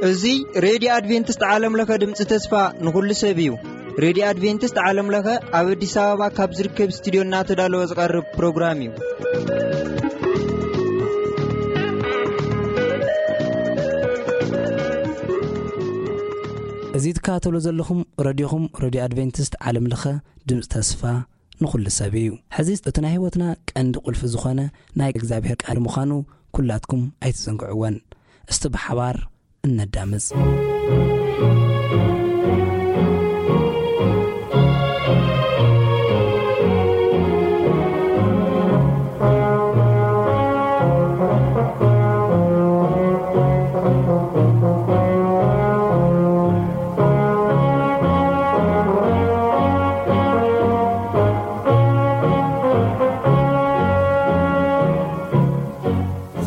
እዚ ሬድዮ ኣድቬንቲስት ዓለም ለኸ ድምፂ ተስፋ ንኹሉ ሰብ እዩ። ሬድዮ ኣድቬንቲስት ዓለም ለኸ ኣብ ኣዲስ ኣበባ ካብ ዝርከብ ስቱዲዮ እናተዳለወ ዝቐርብ ፕሮግራም እዩ። እዚ ትከታተሉ ዘለኹም ረድዮኹም፣ ረድዮ ኣድቬንቲስት ዓለም ለኸ ድምፂ ተስፋ ንኹሉ ሰብ እዩ። ሕዚ እቲ ናይ ህይወትና ቀንዲ ቁልፊ ዝኾነ ናይ እግዚኣብሔር ቃል ምዃኑ ኩላትኩም ኣይትዘንግዕወን። እስቲ ብሓባር እነዳምፅ።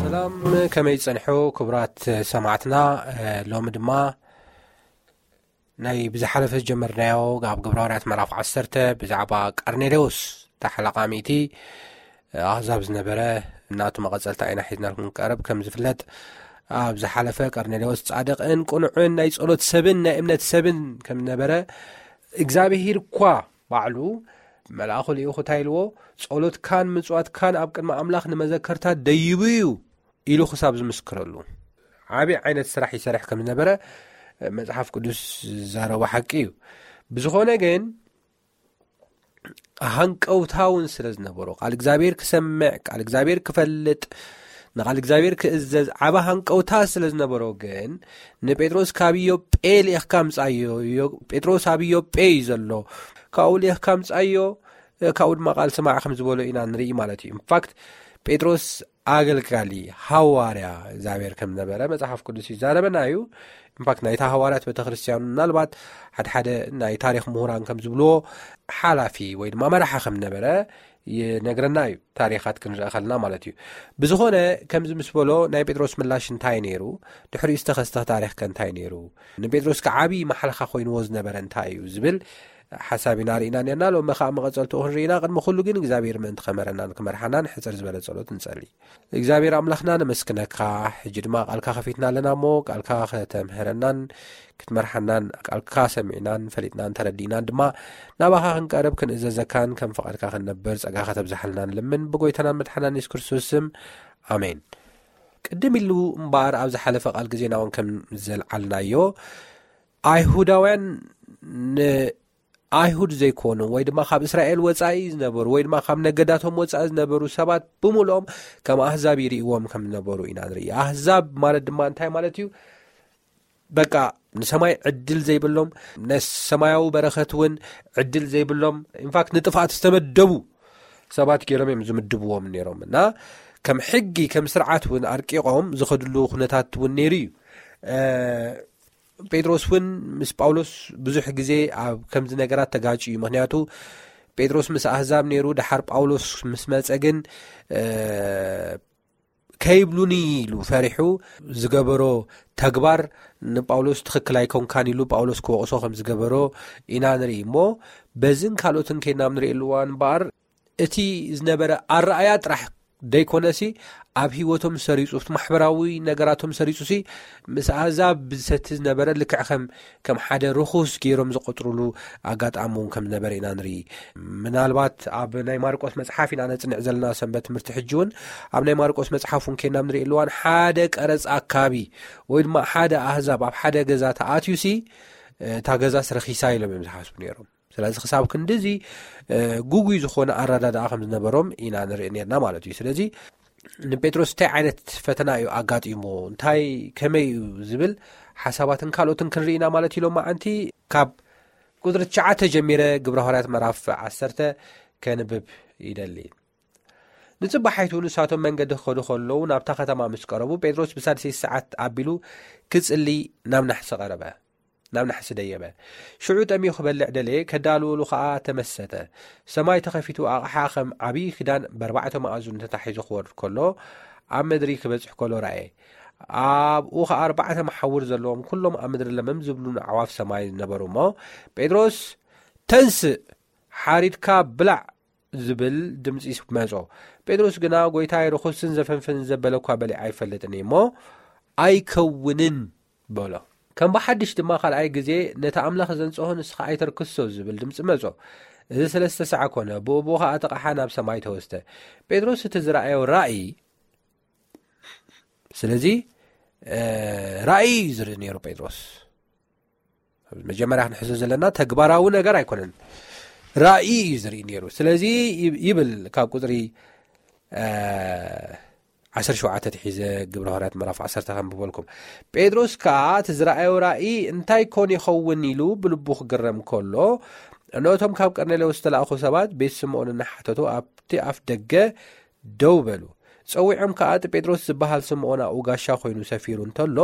ሰላም፣ ከመይ ጸንሑ ክቡራት ሰማዕትና? ሎሚ ድማ ናይ ብዝሓለፈ ዝጀመርናዮ ኣብ ግብረ ሃዋርያት ምዕራፍ ዓሰርተ ብዛዕባ ቀርኔሌዎስ ተሓላቓሚቲ ኣህዛብ ዝነበረ እናቱ መቐጸልታ ኢና ሒዝናልኩም ቀረብ። ከም ዝፍለጥ፣ ኣብ ዝሓለፈ ቀርኔሌዎስ ጻድቕን ቅኑዕን ናይ ጸሎት ሰብን ናይ እምነት ሰብን ከም ዝነበረ፣ እግዚኣብሄር እኳ ባዕሉ መልኣኹ ልኢኹ እንታይ ኢልዎ? "ጸሎትካን ምጽዋትካን ኣብ ቅድሚ ኣምላኽ ንመዘከርታ ደይቡ እዩ" ኢሉ ክሳብ ዝምስክረሉ፣ ዓቢ ዓይነት ስራሕ ይሰርሕ ከም ዝነበረ መጽሓፍ ቅዱስ ዝዛረቦ ሓቂ እዩ። ብዝኾነ ግን፣ ሃንቀውታ እውን ስለ ዝነበሮ፣ ቃል እግዚኣብሔር ክሰምዕ፣ ቃል እግዚኣብሔር ክፈልጥ፣ ንቃል እግዚኣብሔር ክእዘዝ ዓቢ ሃንቀውታ ስለ ዝነበሮ ግን፣ ንጴጥሮስ "ካብ ኢዮጴ ልኢኽካ ምጻዮ፣ ኢዮ-፣ ጴጥሮስ ኣብ ኢዮጴ እዩ ዘሎ፣ ካብኡ ልኢኽካ ምጻዮ፣ ካብኡ ድማ ቃል ስማዕ" ከም ዝበሎ ኢና ንርኢ ማለት እዩ። ኢንፋክት፣ ጴጥሮስ ኣገልጋሊ፣ ሃዋርያ እግዚኣብሔር ከም ነበረ መጽሓፍ ቅዱስ ይዛረበና እዩ። ኢንፋክት፣ ናይታ ሃዋርያት ቤተክርስትያን ምናልባት ሓድሓደ ናይ ታሪኽ ምሁራን ከም ዝብልዎ፣ ሓላፊ ወይ ድማ መራሒ ከም ነበረ ይነግረና እዩ፣ ታሪኻት ክንርኢ ከለና ማለት እዩ። ብዝኾነ፣ ከምዚ ምስ በሎ፣ ናይ ጴጥሮስ ምላሽ እንታይ ነይሩ? ድሕሪኡ ዝተኸስተ ታሪኽ ከ እንታይ ነይሩ? ንጴጥሮስ ከ ዓቢ ማሕለኻ ኮይንዎ ዝነበረ እንታይ እዩ ዝብል ሓሳብ ኢና ርኢና ነርና። ሎሚ ኸኣ መቐጸልትኡ ክንርኢና፣ ቅድሚ ኩሉ ግን እግዚኣብሔር ምእንቲ ኸመረናን ክመርሓናን ሕጽር ዝበለ ጸሎት ንጸሊ። እግዚኣብሔር ኣምላኽና፣ ነመስግነካ። ሕጂ ድማ ቃልካ ከፊትና ኣለና እሞ፣ ቃልካ ከተምህረናን ክትመርሓናን፣ ቃልካ ሰሚዕናን ፈሊጥናን ተረዲእናን ድማ ናባኻ ክንቀርብ ክንእዘዘካን ከም ፍቓድካ ክንነብር ጸጋ ከተብዝሓልና ንልምን፣ ብጎይታናን መድሓናን የሱስ ክርስቶስ ስም፣ ኣሜን። ቅድም ኢሉ እምበኣር፣ ኣብ ዝሓለፈ ቃል ግዜና እውን ከም ዘልዓልናዮ፣ ኣይሁዳውያን ን-፣ ኣይሁድ ዘይኮኑ ወይ ድማ ካብ እስራኤል ወጻኢ ዝነበሩ ወይ ድማ ካብ ነገዳቶም ወጻኢ ዝነበሩ ሰባት ብምልኦም ከም ኣህዛብ ይርእይዎም ከም ዝነበሩ ኢና ንርኢ። ኣህዛብ ማለት ድማ እንታይ ማለት እዩ? በቃ፣ ንሰማይ ዕድል ዘይብሎም፣ ነሰማያዊ በረኸት እውን ዕድል ዘይብሎም፣ ኢንፋክት ንጥፍኣት ዝተመደቡ ሰባት ገይሮም እዮም ዝምድብዎም ነይሮም። እና ከም ሕጊ፣ ከም ስርዓት እውን ኣርቂቖም ዝኸድሉ ኩነታት እውን ነይሩ እዩ። እ፣ ጴጥሮስ እውን ምስ ጳውሎስ ብዙሕ ግዜ ኣብ ከምዚ ነገራት ተጋጭ እዩ። ምኽንያቱ፣ ጴጥሮስ ምስ ኣህዛብ ነይሩ፣ ደሓር ጳውሎስ ምስ መጸ ግን፣ እ፣ ከይብሉኒ ኢሉ ፈሪሑ ዝገበሮ ተግባር ንጳውሎስ ትኽክል ኣይኮንካን ኢሉ ጳውሎስ ክወቕሶ ከም ዝገበሮ ኢና ንርኢ። እሞ በዝን ካልኦትን ከይድና ኣብ ንርእየሉ እዋን እምበኣር፣ እቲ ዝነበረ ኣረኣያ ጥራሕ ደይኮነሲ፣ ኣብ ህይወቶም ሰሪጹ፣ ኣብቲ ማሕበራዊ ነገራቶም ሰሪጹሲ፣ ምስ ኣህዛብ ብዝሰቲ ዝነበረ ልክዕ ከም፣ ከም ሓደ ርኹስ ገይሮም ዝቆጽሩሉ ኣጋጣሚ እውን ከም ዝነበረ ኢና ንርኢ። ምናልባት ኣብ ናይ ማርቆስ መጽሓፍ ኢና ነጽንዕ ዘለና ሰንበት ትምህርቲ። ሕጂ እውን ኣብ ናይ ማርቆስ መጽሓፍ እውን ከይና ንርእየሉ እዋን፣ ሓደ ቀረጽ ኣካቢ ወይ ድማ ሓደ ኣህዛብ ኣብ ሓደ ገዛ ተኣትዩሲ፣ እታ ገዛስ ረኺሳ ኢሎም እዮም ዝሓስቡ ነይሮም። ስለዚ ክሳብ ክንድዚ፣ እ፣ ጉጉይ ዝኾነ ኣረዳድኣ ከም ዝነበሮም ኢና ንርኢ ነርና ማለት እዩ። ስለዚ ንጴጥሮስ እንታይ ዓይነት ፈተና እዩ ኣጋጢሞ፣ እንታይ ከመይ እዩ ዝብል ሓሳባትን ካልኦትን ክንርኢ ኢና ማለት እዩ። ሎማዓንቲ ካብ ቁጽሪ ትሽዓተ ጀሚረ ግብረ ሃዋርያት ምዕራፍ ዓሰርተ ከንብብ ይደሊ። ንጽባሒቱ ንሳቶም መንገዲ ክኸዱ ከለዉ ናብታ ከተማ ምስ ቀረቡ፣ ጴጥሮስ ብሳልሰይቲ ሰዓት ኣቢሉ ክጽሊ ናብ ናሕሲ ቀረበ። ናብ ናሕሲ ደየበ። ሽዑ ጠምዩ ክበልዕ ደለየ፣ ከዳልወሉ ኸኣ ተመሰጠ። ሰማይ ተኸፊቱ፣ ኣቕሓ ኸም ዓብዪ ክዳን በርባዕተ መኣዝኑ ተታሒዙ ክወርድ ከሎ፣ ኣብ ምድሪ ክበጽሕ ከሎ ረኣየ። ኣብኡ ኸኣ ኣርባዕተ መሓውር ዘለዎም፣ ኩሎም ኣብ ምድሪ ለመም ዝብሉ ኣዕዋፍ ሰማይ ነበሩ እሞ፣ "ጴጥሮስ፣ ተንስእ፣ ሓሪድካ ብላዕ" ዝብል ድምፂ መጾ። ጴጥሮስ ግና፣ "ጎይታይ፣ ርኹስን ዘፈንፍን ዘበለ እኳ በሊዐ ኣይፈልጥን እየ እሞ ኣይከውንን" በሎ። ከም ብሓድሽ ድማ ካልኣይ ግዜ፣ "ነቲ ኣምላኽ ዘንጽሆ ንስኻ ኣይተርክሶ" ዝብል ድምፂ መጾ። እዚ ሰለስተ ሳዕ ኮነ፣ ብኡ ብኡ ኸዓ እቲ ቐሓ ናብ ሰማይ ተወስደ። ጴጥሮስ እቲ ዝረኣዮ ራእይ፣ ስለዚ፣ እ፣ ራእይ እዩ ዝርኢ ነይሩ ጴጥሮስ። መጀመርያ ክንሕዞ ዘለና ተግባራዊ ነገር ኣይኮነን፣ ራእይ እዩ ዝርኢ ነይሩ። ስለዚ ይብ-፣ ይብል ካብ ቁጽሪ፣ እ፣ ዓሰርተ ሸውዓተ ትሒዘ ግብረ ሃዋርያት ምዕራፍ ዓሰርተ ከንብበልኩም። "ጴጥሮስ ከኣ እቲ ዝረኣዮ ራእይ እንታይ ኮን ይኸውን?" ኢሉ ብልቡ ክግረም ከሎ፣ እነሆ እቶም ካብ ቀርኔሌዎስ ዝተላእኹ ሰባት ቤት ስምዖን እናሓተቱ ኣብቲ ኣፍ ደገ ደው በሉ። ጸዊዖም ከኣ እቲ ጴጥሮስ ዝበሃል ስምዖን ኣብኡ ጋሻ ኮይኑ ሰፊሩ እንተሎ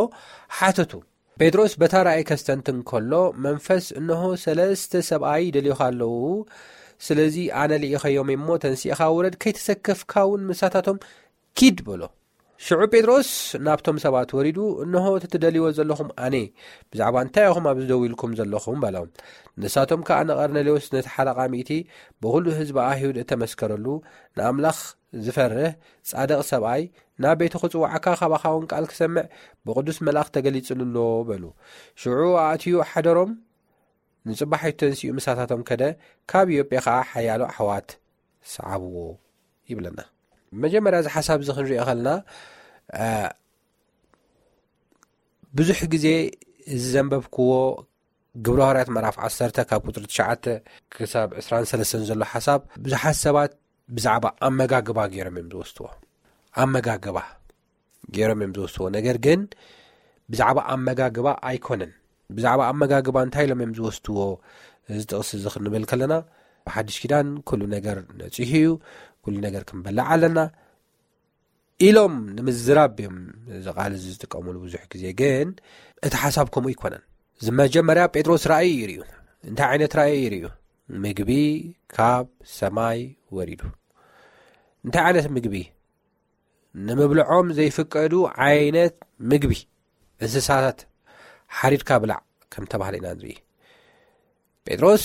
ሓተቱ። ጴጥሮስ በታ ራእይ ከስተንትን ከሎ፣ መንፈስ፣ "እንሆ ሰለስተ ሰብኣይ ይደልዩኻ ኣለዉ፣ ስለዚ ኣነ ልኢኸዮም እሞ ተንሲእኻ ውረድ፣ ከይተሰከፍካ እውን ምሳታቶም ኪድ" በሎ። ሽዑ ጴጥሮስ ናብቶም ሰባት ወሪዱ፣ "እንሆ እቲ ትደልይዎ ዘለኹም ኣነ፣ ብዛዕባ እንታይ ኢኹም ኣብዚ ደው ኢልኩም ዘለኹም?" በሎም። ንሳቶም ከኣ ንቀርኔሌዎስ ነቲ ሓለቓ ሚእቲ፣ ብኹሉ ህዝቢ ኣይሁድ እተመስከረሉ፣ ንኣምላኽ ዝፈርህ ጻድቕ ሰብኣይ፣ ናብ ቤቱ ክጽውዓካ ካባኻ እውን ቃል ክሰምዕ ብቕዱስ መልኣኽ ተገሊጽሉ ኣሎ በሉ። ሽዑ ኣእትዩ ሓደሮም፣ ንጽባሒቱ ተንሲኡ ምሳታቶም ከደ፣ ካብ ኢዮጴ ኸኣ ሓያሎ ኣሕዋት ሰዓብዎ ይብለና። መጀመርያ እዚ ሓሳብ እዚ ክንሪኦ ከለና፣ እ፣ ብዙሕ ግዜ እዚ ዘንበብክዎ ግብረ ሃዋርያት ምዕራፍ ዓሰርተ ካብ ቁጽሪ ትሽዓተ ክሳብ ዕስራን ሰለስተን ዘሎ ሓሳብ ብዙሓት ሰባት ብዛዕባ ኣመጋግባ ገይሮም እዮም ዝወስድዎ። ኣመጋግባ ገይሮም እዮም ዝወስድዎ። ነገር ግን ብዛዕባ ኣመጋግባ ኣይኮነን። ብዛዕባ ኣመጋግባ እንታይ ኢሎም እዮም ዝወስድዎ? እዚ ጥቕሲ እዚ ክንብል ከለና፣ ብሓድሽ ኪዳን ኩሉ ነገር ነጺሁ እዩ፣ ኩሉ ነገር ክንበልዕ ኣለና ኢሎም ንምዝራብ እዮም እዚ ቃል እዚ ዝጥቀሙሉ ብዙሕ ግዜ። ግን እቲ ሓሳብ ከምኡ ኣይኮነን። እዚ መጀመርያ ጴጥሮስ ራእይ እዩ ርእዩ። እንታይ ዓይነት ራእይ እዩ ርእዩ? ምግቢ ካብ ሰማይ ወሪዱ። እንታይ ዓይነት ምግቢ? ንምብልዖም ዘይፍቀዱ ዓይነት ምግቢ፣ እንስሳታት ሓሪድካ ብላዕ ከም ተባህለ ኢና ንርኢ። ጴጥሮስ፣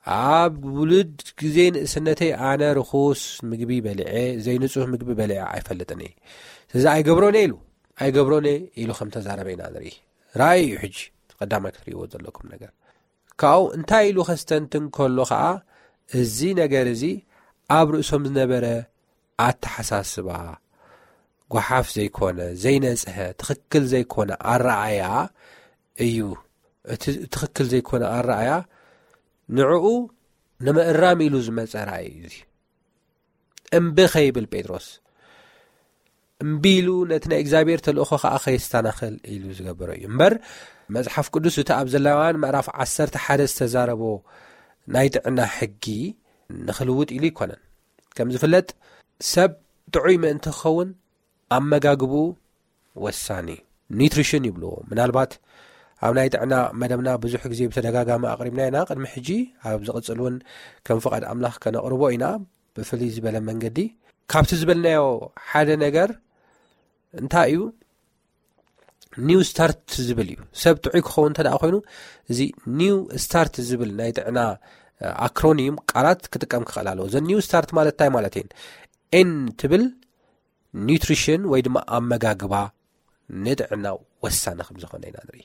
"ኣብ ውሉድ ግዜ ንእስነተይ ኣነ ርኹስ ምግቢ በሊዐ፣ ዘይንጹህ ምግቢ በሊዐ ኣይፈልጥን እየ። ስለዚ ኣይገብሮን እየ" ኢሉ፣ "ኣይገብሮን እየ" ኢሉ ከም ተዛረበ ኢና ንርኢ። ራእይ እዩ ሕጂ ቀዳማይ ክትርእይዎ ዘለኩም ነገር። ካብኡ እንታይ ኢሉ ከስተንትን ከሎ ኸኣ፣ እዚ ነገር እዚ ኣብ ርእሶም ዝነበረ ኣተሓሳስባ፣ ጓሓፍ ዘይኮነ፣ ዘይነጽሀ፣ ትኽክል ዘይኮነ ኣረኣእያ እዩ። እቲ ትኽክል ዘይኮነ ኣረኣእያ ንዕኡ ንምእራም ኢሉ ዝመጸ ራእይ እዩ እዚ። እምቢ ከይብል ጴጥሮስ፣ እምቢ ኢሉ ነቲ ናይ እግዚኣብሔር ተልእኾ ኸኣ ከየስተናኽል ኢሉ ዝገበሮ እዩ። እምበር መጽሓፍ ቅዱስ እቲ ኣብ ዘሌዋውያን ምዕራፍ ዓሰርተ ሓደ ዝተዛረቦ ናይ ጥዕና ሕጊ ንኽልውጥ ኢሉ ኣይኮነን። ከም ዝፍለጥ ሰብ ጥዑይ ምእንቲ ክኸውን ኣመጋግብኡ ወሳኒ እዩ። ኒውትሪሽን ይብልዎ። ምናልባት ኣብ ናይ ጥዕና መደብና ብዙሕ ግዜ ብተደጋጋሚ ኣቕሪብና ኢና። ቅድሚ ሕጂ ኣብ ዝቕጽል እውን ከም ፍቓድ ኣምላኽ ከነቕርቦ ኢና። ብፍልይ ዝበለ መንገዲ ካብቲ ዝበልናዮ ሓደ ነገር እንታይ እዩ? ኒው ስታርት ዝብል እዩ። ሰብ ጥዑይ ክኸውን እንተ ደኣ ኮይኑ፣ እዚ ኒው ስታርት ዝብል ናይ ጥዕና፣ እ፣ ኣክሮኒም ቃላት ክጥቀም ክኽእል ኣለዎ። እዘን ኒው ስታርት ማለት እንታይ ማለት እየን? ኤን ትብል ኒውትሪሽን ወይ ድማ ኣመጋግባ ንጥዕና ወሳኒ ከም ዝኾነ ኢና ንርኢ።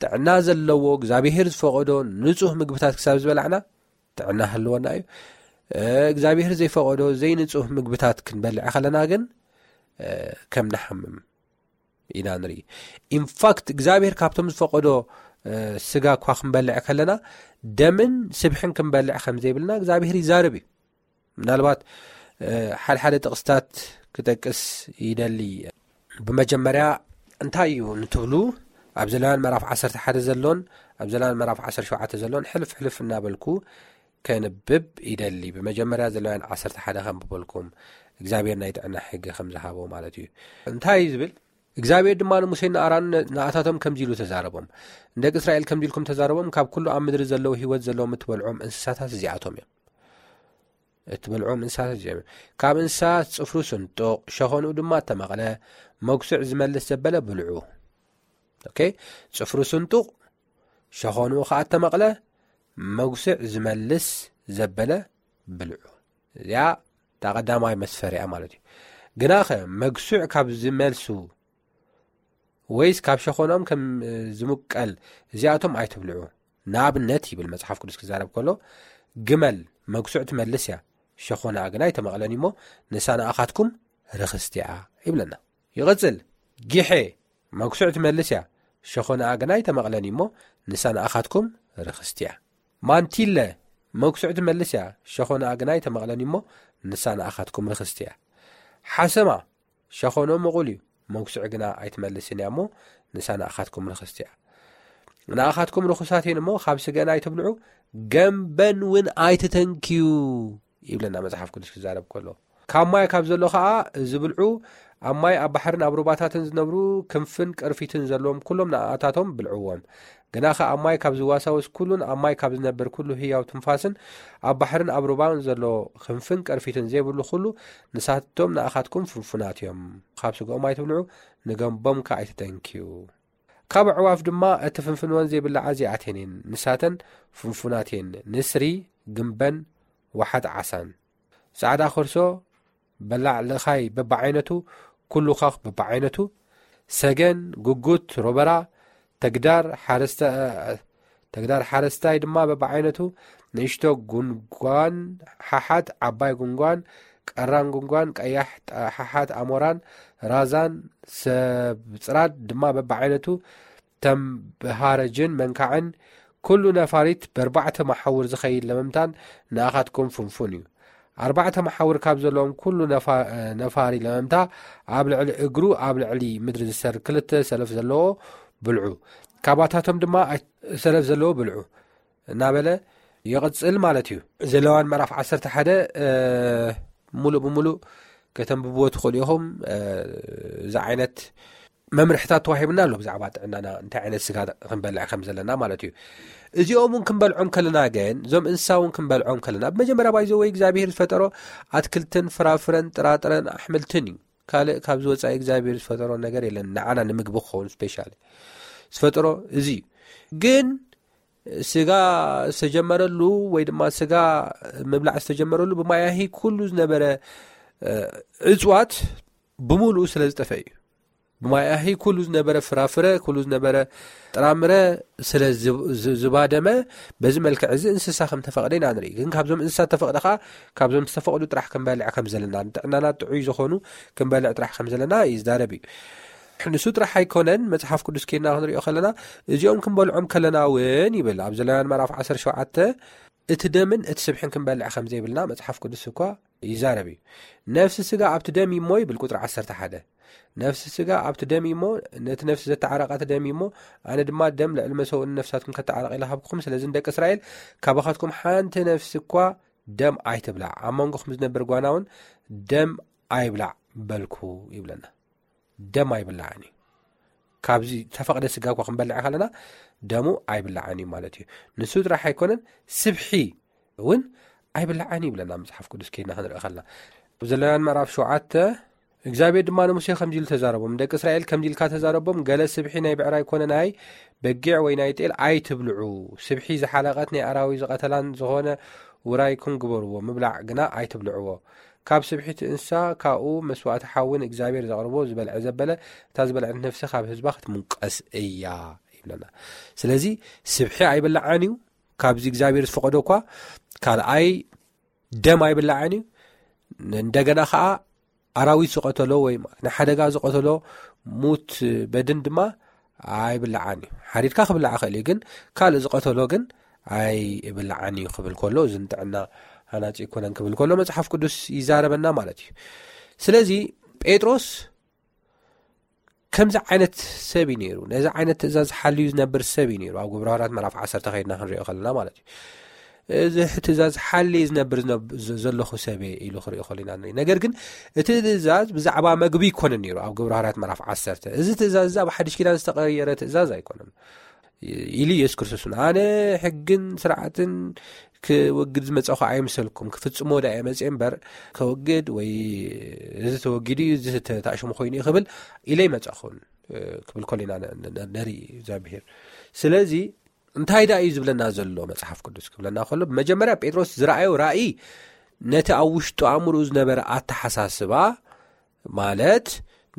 ጥዕና ዘለዎ እግዚኣብሄር ዝፈቐዶ ንጹህ ምግብታት ክሳብ ዝበላዕና ጥዕና ህልወና እዩ። እ፣ እግዚኣብሄር ዘይፈቐዶ ዘይንጹህ ምግብታት ክንበልዕ ከለና ግን፣ እ፣ ከም ንሓምም ኢና ንርኢ። ኢንፋክት እግዚኣብሄር ካብቶም ዝፈቐዶ፣ እ፣ ስጋ እኳ ክንበልዕ ከለና ደምን ስብሕን ክንበልዕ ከም ዘይብልና እግዚኣብሄር ይዛረብ እዩ። ምናልባት፣ እ፣ ሓደ ሓደ ጥቕስታት ክጠቅስ ይደሊ። ብመጀመርያ እንታይ እዩ ንትብሉ፣ ኣብ ዘሌዋውያን ምዕራፍ ዓሰርተ ሓደ ዘሎን ኣብ ዘሌዋውያን ምዕራፍ ዓሰርተ ሸውዓተ ዘሎን ሕልፍ ሕልፍ እናበልኩ ከንብብ ይደሊ። ብመጀመርያ ዘሌዋውያን ዓሰርተ ሓደ ከንብበልኩም፣ እግዚኣብሔር ናይ ጥዕና ሕጊ ከም ዝሃቦ ማለት እዩ። እንታይ እዩ ዝብል? እግዚኣብሔር ድማ ንሙሴን ንኣሮንን ንኣታቶም ከምዚ ኢሉ ተዛረቦም፣ ንደቂ እስራኤል ከምዚ ኢልኩም ተዛረቦም፣ ካብ ኩሉ ኣብ ምድሪ ዘለዉ ህይወት ዘለዎም እትበልዖም እንስሳታት እዚኣቶም እዮም። እትበልዖም እንስሳታት እዚኦም እዮም። ካብ እንስሳ ጽፍሩ ስንጡቕ፣ ሸኾንኡ ድማ እተመቕለ፣ መጉስዕ ዝመልስ ዘበለ ብልዑ። ኦኬ፣ ጽፍሩ ስንጡቕ፣ ሸኾንኡ ኸኣ እተመቕለ፣ መጉስዕ ዝመልስ ዘበለ ብልዑ። እዚኣ እታ ቀዳማይ መስፈሪያ ማለት እዩ። ግናኸ መጉስዕ ካብ ዝመልሱ ወይስ ካብ ሸኾናኦም ከም ዝምቀል እዚኣቶም ኣይትብልዑ። ንኣብነት ይብል መጽሓፍ ቅዱስ ክዛረብ ከሎ፣ ግመል መጉስዕ ትመልስ እያ፣ ሸኾናኣ ግና ኣይተመቕለን እሞ ንሳ ንኣኻትኩም ርኽስቲ እያ ይብለና። ይቕጽል፣ ጊሐ መጉስዕ ትመልስ እያ፣ ሸኾናኣ ግና ኣይተመቕለን እሞ ንሳ ንኣኻትኩም ርኽስቲ እያ። ማንቲለ መጉስዕ ትመልስ እያ፣ ሸኾናኣ ግና ኣይተመቕለን እሞ ንሳ ንኣኻትኩም ርኽስቲ እያ። ሓሰማ ሸኾኖ ምቑል እዩ፣ መጉስዕ ግና ኣይትመልስን እያ እሞ ንሳ ንኣኻትኩም ርኽስቲ እያ። ንኣኻትኩም ርኹሳት እየን እሞ ካብ ስገን ኣይትብልዑ፣ ገምበን እውን ኣይትተንክዩ ይብለና መጽሓፍ ቅዱስ ክዛረብ ከሎ። ካብ ማይ ካብ ዘሎ ኸኣ ዝብልዑ፣ ኣብ ማይ ኣብ ባሕርን ኣብ ሩባታትን ዝነብሩ ክንፍን ቅርፊትን ዘለዎም ኩሎም ንኣታቶም ብልዕዎም። ግናኸ ኣብ ማይ ካብ ዝዋሳወስ ኩሉን ኣብ ማይ ካብ ዝነብር ኩሉ ህያው ትንፋስን ኣብ ባሕርን ኣብ ሩባን ዘሎ ክንፍን ቅርፊትን ዘይብሉ ኩሉ ንሳቶም ንኣኻትኩም ፍንፉናት እዮም። ካብ ስግኦም ኣይትብልዑ፣ ንገምቦም ከ ኣይትተንክዩ። ካብ ኣዕዋፍ ድማ እቲ ፍንፍንወን ዘይብላዓ እዚኣተን እየን። ንሳተን ፍንፉናት እየን። ንስሪ፣ ግምበን፣ ዋሓጥ ዓሳን። ጻዕዳ ከርሶ፣ በላዕ ልኻይ በብዓይነቱ፣ ኩሉ ኻኽ በብዓይነቱ፣ ሰገን፣ ጉጉት፣ ሮበራ፣ ተግዳር፣ ሓረስታ-፣ ተግዳር ሓረስታይ ድማ በብዓይነቱ፣ ንእሽቶ ጉንጓን፣ ሓሓት፣ ዓባይ ጉንጓን፣ ቀራን ጉንጓን፣ ቀያሕ ጣ-፣ ሓሓት ኣሞራን፣ ራዛን፣ ሰብ ጽራድ ድማ በብዓይነቱ፣ ተምብሃረጅን መንካዕን፣ ኩሉ ነፋሪት በርባዕተ መሓውር ዝኸይድ ለመምታን ንኣኻትኩም ፍንፉን እዩ። ኣርባዕተ መሓውር ካብ ዘለዎም ኩሉ ነፋ-፣ ነፋሪ ለመምታ ኣብ ልዕሊ እግሩ ኣብ ልዕሊ ምድሪ ዝሰር ክልተ ሰለፍ ዘለዎ ብልዑ፣ ካባታቶም ድማ ኣይ-፣ ሰለፍ ዘለዎ ብልዑ እናበለ ይቕጽል ማለት እዩ። ዘለዋን ምዕራፍ ዓሰርተ ሓደ፣ እ፣ ሙሉእ ብሙሉእ ከተንብብዎ ትኽእሉ ኢኹም። እ፣ እዚ ዓይነት መምርሕታት ተዋሂቡና ኣሎ ብዛዕባ ጥዕናና፣ እንታይ ዓይነት ስጋ ክንበልዕ ከም ዘለና ማለት እዩ። እዚኦም እውን ክንበልዖም ከለና ግን፣ እዞም እንስሳ እውን ክንበልዖም ከለና፣ ብመጀመርያ ባይዘ ወይ እግዚኣብሔር ዝፈጠሮ ኣትክልትን ፍራፍረን ጥራጥረን ኣሕምልትን እዩ። ካልእ ካብዚ ወጻኢ እግዚኣብሔር ዝፈጠሮ ነገር የለን፣ ንዓና ንምግቢ ክኸውን ስፔሻሊ ዝፈጠሮ እዚ እዩ። ግን ስጋ ዝተጀመረሉ ወይ ድማ ስጋ ምብላዕ ዝተጀመረሉ ብማያሂ ኩሉ ዝነበረ፣ እ፣ እጽዋት ብምሉኡ ስለ ዝጠፈ እዩ። ብማያሂ ኩሉ ዝነበረ ፍራፍረ፣ ኩሉ ዝነበረ ጥራምረ ስለ ዝ-፣ ዝ-፣ ዝባደመ፣ በዚ መልክዕ እዚ እንስሳ ከም ተፈቕደ ኢና ንርኢ። ግን ካብዞም እንስሳ ተፈቕደ ኸኣ፣ ካብዞም ዝተፈቕዱ ጥራሕ ክንበልዕ ከም ዘለና፣ ንጥዕናና ጥዑይ ዝኾኑ ክንበልዕ ጥራሕ ከም ዘለና ይዛረብ እዩ። ንሱ ጥራሕ ኣይኮነን፣ መጽሓፍ ቅዱስ ኬድና ክንሪኦ ከለና፣ እዚኦም ክንበልዖም ከለና እውን ይብል፣ ኣብ ዘሌዋውያን ምዕራፍ ዓሰርተ ሸውዓተ፣ እቲ ደምን እቲ ስብሕን ክንበልዕ ከም ዘይብልና መጽሓፍ ቅዱስ እኳ ይዛረብ እዩ። ነፍሲ ስጋ ኣብቲ ደም እዩ እሞ ይብል ቁጽሪ ዓሰርተ ሓደ። ነፍሲ ስጋ ኣብቲ ደም እዩ እሞ፣ ነቲ ነፍሲ ዘተዓረቐ እቲ ደም እዩ እሞ፣ ኣነ ድማ ደም ልዕሊ መሰውእን ነፍሳትኩም ከተዓርቕ ኢለ ሃብኩኹም። ስለዚ ንደቂ እስራኤል፣ ካባኻትኩም ሓንቲ ነፍሲ እኳ ደም ኣይትብላዕ፣ ኣብ መንጎኹም ዝነብር ጓና እውን ደም ኣይብላዕ በልኩ ይብለና። ደም ኣይብላዕን እዩ። ካብዚ ተፈቕደ ስጋ እኳ ክንበልዕ ከለና ደሙ ኣይብላዕን እዩ ማለት እዩ። ንሱ ጥራሕ ኣይኮነን፣ ስብሒ እውን ኣይብላዕን ይብለና መጽሓፍ ቅዱስ ኬድና ክንርኢ ከለና። ኣብ ዘሌዋውያን ምዕራፍ ሸውዓተ፣ እግዚኣብሔር ድማ ንሙሴ ከምዚ ኢሉ ተዛረቦም፣ "ንደቂ እስራኤል ከምዚ ኢልካ ተዛረቦም፣ ገለ ስብሒ ናይ ብዕራይ ኮነ ናይ በጊዕ ወይ ናይ ጤል ኣይትብልዑ። ስብሒ ዝሓለቐት ናይ ኣራዊት ዝቐተላን ዝኾነ ውራይኩም ግበርዎ፣ ምብላዕ ግና ኣይትብልዕዎ። ካብ ስብሒ እቲ እንስሳ ካብኡ መስዋእቲ ሓዊ ንእግዚኣብሔር ዘቕርቦ ዝበልዐ ዘበለ፣ እታ ዝበልዐት ነፍሲ ካብ ህዝባ ክትምንቀስ እያ" ይብለና። ስለዚ ስብሒ ኣይብላዓን እዩ፣ ካብዚ እግዚኣብሔር ዝፈቐዶ እኳ። ካልኣይ ደም ኣይብላዓን እዩ። እንደገና ኸዓ ኣራዊት ዝቐተሎ ወይ ንሓደጋ ዝቐተሎ ሙት በድን ድማ ኣይብላዓን እዩ። ሓሪድካ ክብላዕ ይኽእል እዩ፣ ግን ካልእ ዝቐተሎ ግን ኣይብላዓን እዩ ክብል ከሎ፣ እዚ ንጥዕና ሃናጺ ኣይኮነን ክብል ከሎ መጽሓፍ ቅዱስ ይዛረበና ማለት እዩ። ስለዚ ጴጥሮስ ከምዚ ዓይነት ሰብ እዩ ነይሩ። ነዚ ዓይነት ትእዛዝ ሓልዩ ዝነብር ሰብ እዩ ነይሩ። ኣብ ግብረ ሃዋርያት ምዕራፍ ዓሰርተ ከይድና ክንሪኦ ከለና ማለት እዩ። እዚ ትእዛዝ ሓልየ ዝነብር ዝነብ-፣ ዘ-፣ ዘለኹ ሰብ እየ ኢሉ ክሪኦ ከሎ ኢና ንርኢ። ነገር ግን እቲ ትእዛዝ ብዛዕባ መግቢ ይኮነ ነይሩ። ኣብ ግብረ ሃዋርያት ምዕራፍ ዓሰርተ፣ እዚ ትእዛዝ እዚ ኣብ ሓድሽ ኪዳን ዝተቐየረ ትእዛዝ ኣይኮነን። ኢሉ ኢየሱስ ክርስቶስ እውን፣ "ኣነ ሕግን ስርዓትን ክወግድ ዝመጻኹ ኣይምሰልኩም፣ ክፍጽሞ ደኣ እየ መጽየ እምበር፣ ከወግድ ወይ እዚ ተወጊዱ እዩ፣ እዚ ተ-፣ ተኣሽሙ ኮይኑ እዩ ክብል ኢለ ኣይመጻኹን" ክብል ከሎ ኢና ነ-፣ ነ-፣ ነ-፣ ነርኢ እግዚኣብሔር። ስለዚ እንታይ ደኣ እዩ ዝብለና ዘሎ መጽሓፍ ቅዱስ ክብለና ከሎ፣ ብመጀመርያ ጴጥሮስ ዝረኣዮ ራእይ ነቲ ኣብ ውሽጡ ኣእምርኡ ዝነበረ ኣተሓሳስባ፣ ማለት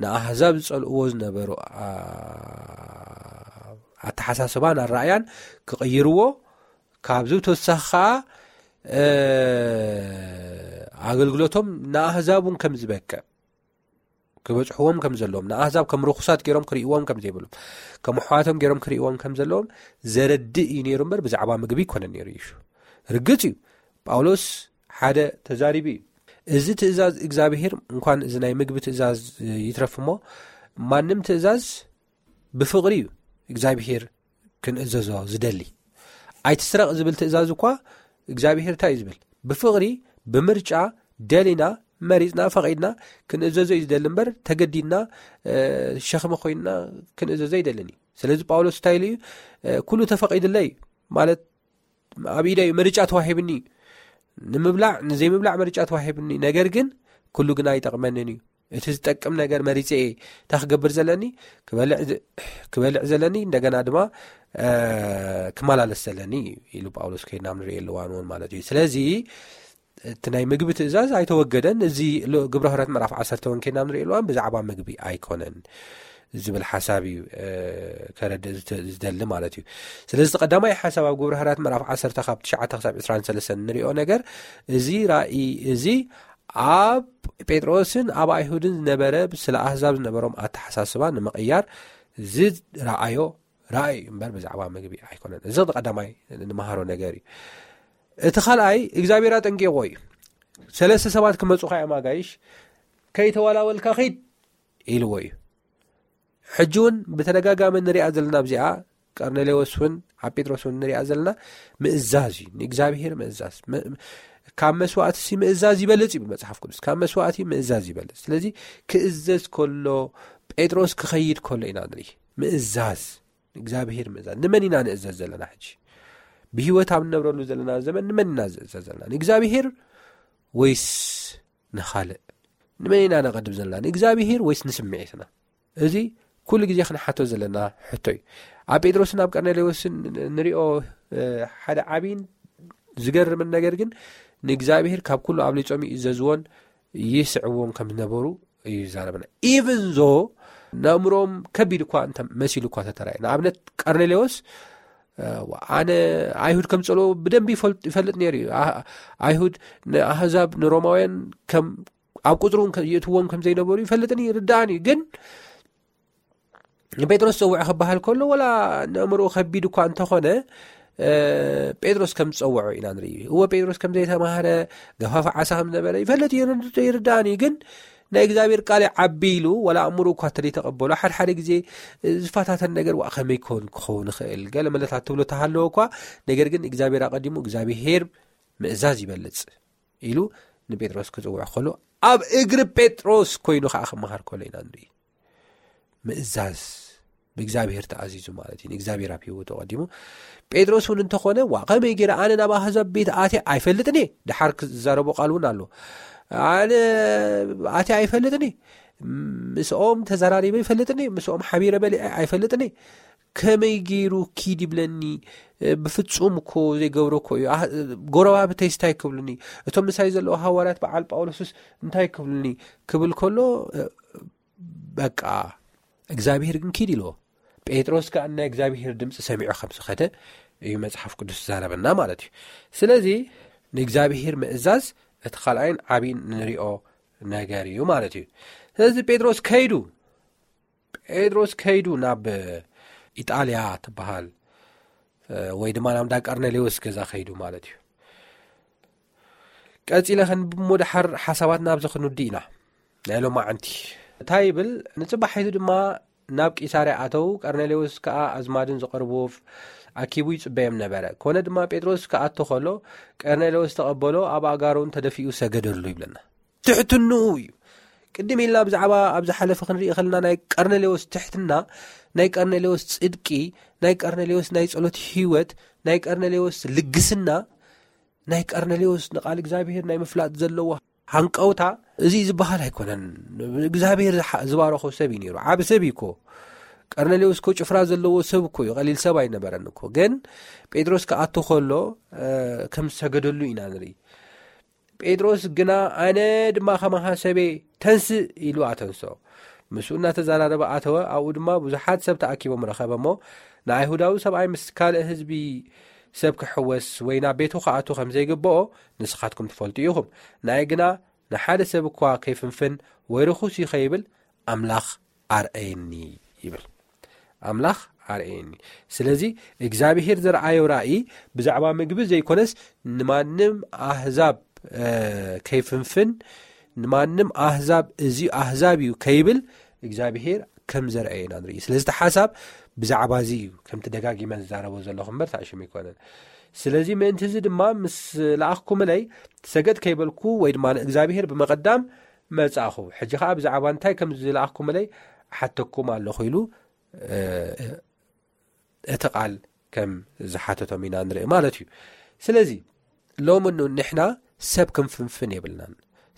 ንኣህዛብ ዝጸልእዎ ዝነበሩ፣ ኣ-፣ ኣተሓሳስባን ኣረኣያን ክቕይርዎ፣ ካብዚ ብተወሳኺ ከኣ፣ እ፣ ኣገልግሎቶም ንኣህዛብ እውን ከም ዝበቅዕ፣ ክበጽሕዎም ከም ዘለዎም፣ ንኣህዛብ ከም ርኹሳት ገይሮም ክርእይዎም ከም ዘይብሎም፣ ከም ኣሕዋቶም ገይሮም ክርእይዎም ከም ዘለዎም ዘረድእ እዩ ነይሩ እምበር፣ ብዛዕባ ምግቢ ኣይኮነን ነይሩ ይሹ። ርግጽ እዩ፣ ጳውሎስ ሓደ ተዛሪቡ እዩ። እዚ ትእዛዝ እግዚኣብሔር፣ እንኳን እዚ ናይ ምግቢ ትእዛዝ ይትረፍ እሞ፣ ማንም ትእዛዝ ብፍቕሪ እዩ እግዚኣብሔር ክንእዘዞ ዝደሊ። ኣይትስረቕ ዝብል ትእዛዝ እኳ እግዚኣብሔር እንታይ እዩ ዝብል? ብፍቕሪ፣ ብምርጫ፣ ደሊና፣ መሪጽና፣ ፈቒድና ክንእዘዞ እዩ ዝደሊ እምበር፣ ተገዲድና፣ እ፣ ሸኽሚ ኮይንና ክንእዘዞ ኣይደልን እዩ። ስለዚ ጳውሎስ እንታይ ኢሉ እዩ? እ፣ "ኩሉ ተፈቒዱለይ" ማለት ኣብ ኢደይ ምርጫ ተዋሂብኒ፣ ንምብላዕ ንዘይምብላዕ ምርጫ ተዋሂብኒ፣ ነገር ግን ኩሉ ግና ኣይጠቕመንን እዩ። እቲ ዝጠቅም ነገር መሪጸ እየ። እንታይ ክገብር ዘለኒ? ክበልዕ ዝ-፣ ክበልዕ ዘለኒ፣ እንደገና ድማ፣ እ፣ ክመላለስ ዘለኒ ኢሉ ጳውሎስ ከይድና ንርእየሉ እዋን እውን ማለት እዩ። ስለዚ እቲ ናይ ምግቢ ትእዛዝ ኣይተወገደን። እዚ ሎ-፣ ግብረ ሃዋርያት ምዕራፍ ዓሰርተ እውን ከይድና ንርእየሉ እዋን ብዛዕባ ምግቢ ኣይኮነን ዝብል ሓሳብ እዩ፣ እ፣ ከረድእ ዝተ-፣ ዝደሊ ማለት እዩ። ስለዚ እቲ ቀዳማይ ሓሳብ ኣብ ግብረ ሃዋርያት ምዕራፍ ዓሰርተ ካብ ትሽዓተ ክሳብ ዕስራን ሰለስተን እንሪኦ ነገር፣ እዚ ራእይ እዚ ኣብ ጴጥሮስን ኣብ ኣይሁድን ዝነበረ ስለ ኣህዛብ ዝነበሮም ኣተሓሳስባ ንምቕያር ዝረኣዮ ራእይ እምበር ብዛዕባ ምግቢ ኣይኮነን። እዚ ቀዳማይ ንመሃሮ ነገር እዩ። እቲ ካልኣይ እግዚኣብሔር ኣጠንቂቕዎ እዩ። ሰለስተ ሰባት ክመጹኻ እዮም ኣጋይሽ፣ ከይተዋላወልካ ኺድ ኢልዎ እዩ። ሕጂ እውን ብተደጋጋሚ ንሪኣ ዘለና ኣብዚኣ፣ ቀርኔሌዎስ እውን ኣብ ጴጥሮስ እውን ንሪኣ ዘለና ምእዛዝ እዩ፣ ንእግዚኣብሔር ምእዛዝ። ም-፣ ካብ መስዋእትሲ ምእዛዝ ይበልጽ ይብል መጽሓፍ ቅዱስ። ካብ መስዋእቲ ምእዛዝ ይበልጽ። ስለዚ ክእዘዝ ከሎ፣ ጴጥሮስ ክኸይድ ከሎ ኢና ንርኢ። ምእዛዝ፣ ንእግዚኣብሔር ምእዛዝ። ንመን ኢና ንእዘዝ ዘለና ሕጂ? ብህይወት ኣብ እንነብረሉ ዘለና ዘመን ንመን ኢና ንእዘዝ ዘለና? ንእግዚኣብሔር ወይስ ንኻልእ? ንመን ኢና ነቐድም ዘለና? ንእግዚኣብሔር ወይስ ንስምዒትና? እዚ ኩሉ ግዜ ክንሓቶ ዘለና ሕቶ እዩ። ኣብ ጴጥሮስን ኣብ ቀርኔሌዎስን ንሪኦ፣ እ፣ ሓደ ዓብይን ዝገርምን ነገር ግን፣ ንእግዚኣብሔር ካብ ኩሉ ኣብሊጾም ይእዘዝዎን ይስዕብዎን ከም ዝነበሩ እዩ ዝዛረበና። ኢቭን ዞ ነእምሮም ከቢድ እኳ እንተ መሲሉ እኳ ተተራየ። ንኣብነት ቀርኔሌዎስ፣ እ፣ ኣነ ኣይሁድ ከም ዝጸልኦ ብደንቢ ይፈልጥ፣ ይፈልጥ ነይሩ እዩ። ኣ-፣ ኣይሁድ ንኣህዛብ፣ ንሮማውያን ከም ኣብ ቁጽሩ እውን ከ-፣ የእትዎም ከም ዘይነበሩ ይፈልጥን ይርዳእን እዩ። ግን ንጴጥሮስ ጸውዐ ክበሃል ከሎ፣ ወላ ነእምርኡ ከቢድ እኳ እንተኾነ፣ እ፣ ጴጥሮስ ከም ዝጸውዖ ኢና ንርኢ። እወ፣ ጴጥሮስ ከም ዘይተማህረ፣ ገፋፊ ዓሳ ከም ዝነበረ ይፈልጥ ይርድ-፣ ይርዳእን እዩ። ግን ናይ እግዚኣብሔር ቃል ይዓቢ ኢሉ፣ ወላ ኣእምርኡ እኳ እንተዘይተቐበሎ፣ ሓድሓደ ግዜ ዝፈታተን ነገር፣ "ዋእ፣ ከመይ ኮን ክኸውን ይኽእል?" ገለ መለታት ትብሎ ተሃለወ እኳ፣ ነገር ግን እግዚኣብሔር ኣቐዲሙ፣ እግዚኣብሔር ምእዛዝ ይበልጽ ኢሉ ንጴጥሮስ ክጽውዕ ከሎ፣ ኣብ እግሪ ጴጥሮስ ኮይኑ ኸዓ ክመሃር ከሎ ኢና ንርኢ። ምእዛዝ፣ ብእግዚኣብሔር ተኣዚዙ ማለት እዩ። ንእግዚኣብሔር ኣብ ህይወቱ ኣቐዲሙ። ጴጥሮስ እውን እንተኾነ፣ "ዋ፣ ከመይ ገይረ ኣነ ናብ ኣህዛብ ቤት ኣትየ ኣይፈልጥን እየ?" ደሓር ክዛረቦ ቃል እውን ኣሎ። "ኣነ ኣትየ ኣይፈልጥን እየ፣ ምስኦም ተዘራሪበ ኣይፈልጥን እየ፣ ምስኦም ሓቢረ በሊዐ ኣይፈልጥን እየ። ከመይ ገይሩ ኪድ ይብለኒ? ብፍጹም እኮ ዘይገብሮ እኮ እዩ። ኣህ-፣ ጎረባብተይስ እንታይ ክብሉኒ? እቶም ምሳይ ዘለዉ ሃዋርያት በዓል ጳውሎስስ እንታይ ክብሉኒ?" ክብል ከሎ፣ በቃ እግዚኣብሔር ግን ኪድ ኢልዎ። ጴጥሮስ ከኣ ናይ እግዚኣብሔር ድምፂ ሰሚዑ ከም ዝኸደ እዩ መጽሓፍ ቅዱስ ዝዛረበና ማለት እዩ። ስለዚ ንእግዚኣብሔር ምእዛዝ እቲ ካልኣይን ዓብይን ንሪኦ ነገር እዩ ማለት እዩ። ስለዚ ጴጥሮስ ከይዱ፣ ጴጥሮስ ከይዱ ናብ ኢጣልያ ትበሃል፣ እ፣ ወይ ድማ ናብ እንዳ ቀርኔሌዎስ ገዛ ከይዱ ማለት እዩ። ቀጺለ ክንብሞ ደሓር ሓሳባት ናብዚ ክንውዲ ኢና። ናይ ሎማዓንቲ እንታይ ይብል? ንጽባሒቱ ድማ ናብ ቂሳርያ ኣተው። ቀርኔሌዎስ ከኣ ኣዝማድን ዝቐርብዎ ኣኪቡ ይጽበዮም ነበረ። ኮነ ድማ ጴጥሮስ ክኣቱ ከሎ ቀርኔሌዎስ ተቐበሎ፣ ኣብ ኣእጋሩ እውን ተደፊኡ ሰገደሉ ይብለና። ትሕትንኡ እዩ። ቅድም ኢልና ብዛዕባ ኣብ ዝሓለፈ ክንርኢ ከለና ናይ ቀርኔሌዎስ ትሕትና፣ ናይ ቀርኔሌዎስ ጽድቂ፣ ናይ ቀርኔሌዎስ ናይ ጸሎት ህይወት፣ ናይ ቀርኔሌዎስ ልግስና፣ ናይ ቀርኔሌዎስ ንቓል እግዚኣብሔር ናይ ምፍላጥ ዘለዎ ሃንቀውታ፣ እዚ ዝበሃል ኣይኮነን። እግዚኣብሔር ዝሓ-፣ ዝባረኾ ሰብ እዩ ነይሩ። ዓቢ ሰብ እዩ እኮ። ቀርኔሌዎስ እኮ ጭፍራ ዘለዎ ሰብ እኮ እዩ፣ ቀሊል ሰብ ኣይነበረን እኮ። ግን ጴጥሮስ ክኣቱ ከሎ ከም ዝሰገደሉ ኢና ንርኢ። ጴጥሮስ ግና ኣነ ድማ ከማኻ ሰበ ተንስእ ኢሉ ኣተንስኦ። ምስኡ እናተዘራረበ ኣተወ። ኣብኡ ድማ ብዙሓት ሰብ ተኣኪቦም ረኸበ እሞ፣ ንኣይሁዳዊ ሰብኣይ ምስ ካልእ ህዝቢ ሰብ ክሕወስ ወይ ናብ ቤቱ ክኣቱ ከም ዘይግብኦ ንስኻትኩም ትፈልጡ ኢኹም። ንኣይ ግና ንሓደ ሰብ እኳ ከይፍንፍን ወይ ርኹስ እዩ ከይብል ኣምላኽ ኣርኣየኒ ይብል። ኣምላኽ ኣርኣየኒ። ስለዚ እግዚኣብሄር ዘርኣዮ ራእይ ብዛዕባ ምግቢ ዘይኮነስ ንማንም ኣህዛብ ከይፍንፍን፣ ንማንም ኣህዛብ እዚ ኣህዛብ እዩ ከይብል እግዚኣብሄር ከም ዘርኣየና ንርኢ። ስለዚ እቲ ሓሳብ ብዛዕባ እዚ እዩ ከምቲ ደጋጊመ ዝዛረቦ ዘለኹ እምበር ታሽም ኣይኮነን። ስለዚ ምእንቲ እዚ ድማ ምስ ለኣኽኩምለይ ሰገድ ከይበልኩ ወይ ድማ ንእግዚኣብሄር ብምቕዳም መጻኹ። ሕጂ ኸዓ ብዛዕባ እንታይ ከም ዝለኣኽኩምለይ ሓተኩም ኣለኹ ኢሉ እቲ ቃል ከም ዝሓተቶም ኢና ንርኢ ማለት እዩ። ስለዚ ሎሚ ንሕና ሰብ ክንፍንፍን የብልናን።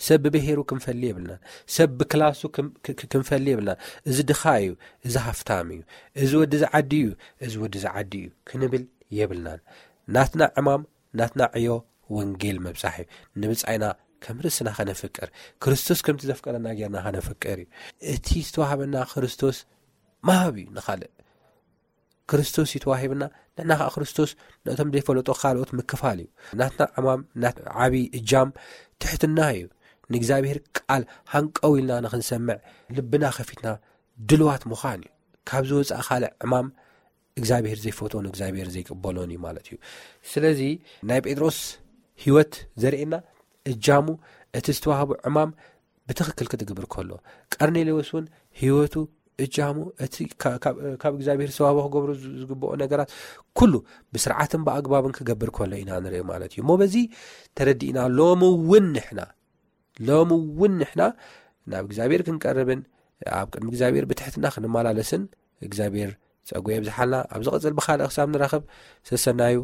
ሰብ ብብሄሩ ክንፈሊ የብልናን። ሰብ ብክላሱ ክንፈሊ የብልናን። እዚ ድኻ እዩ፣ እዚ ሃፍታም እዩ፣ እዚ ወዲ ዝዓዲ እዩ፣ እዚ ወዲ ዝዓዲ እዩ ክንብል የብልናን። ናትና ዕማም፣ ናትና ዕዮ ወንጌል ምብጻሕ እዩ። ንብጻይና ከም ርእስና ከነፍቅር፣ ክርስቶስ ከምቲ ዘፍቀረና ጌርና ከነፍቅር እዩ። እቲ ዝተዋህበና ክርስቶስ ምሃብ እዩ ንኻልእ። ክርስቶስ እዩ ተዋሂብና፣ ንሕና ከዓ ክርስቶስ ነቶም ዘይፈለጦ ካልኦት ምክፋል እዩ። ናትና ዕማም፣ ናት ዓብዪ እጃም ትሕትና እዩ። ንእግዚኣብሔር ቃል ሃንቀው ኢልና ንኽንሰምዕ ልብና ከፊትና ድልዋት ምዃን እዩ። ካብ ዝወፃእ ካልእ ዕማም እግዚኣብሔር ዘይፈትዎን እግዚኣብሔር ዘይቅበሎን እዩ ማለት እዩ። ስለዚ ናይ ጴጥሮስ ህይወት ዘርእየና እጃሙ እቲ ዝተዋህቡ ዕማም ብትኽክል ክትግብር ከሎ፣ ቀርኔሌዎስ እውን ህይወቱ እጃሙ እቲ ካብ እግዚኣብሔር ዝተዋህቦ ክገብሮ ዝግብኦ ነገራት ኩሉ ብስርዓትን ብኣግባብን ክገብር ከሎ ኢና ንርኢ ማለት እዩ። እሞ በዚ ተረዲእና ሎሚ እውን ንሕና ሎሚ እውን ንሕና ናብ እግዚኣብሔር ክንቀርብን ኣብ ቅድሚ እግዚኣብሔር ብትሕትና ክንመላለስን እግዚኣብሔር ጸጉ የብዝሓልና። ኣብ ዝቕጽል ብኻልእ ክሳብ ንራኸብ ሰሰናዩ።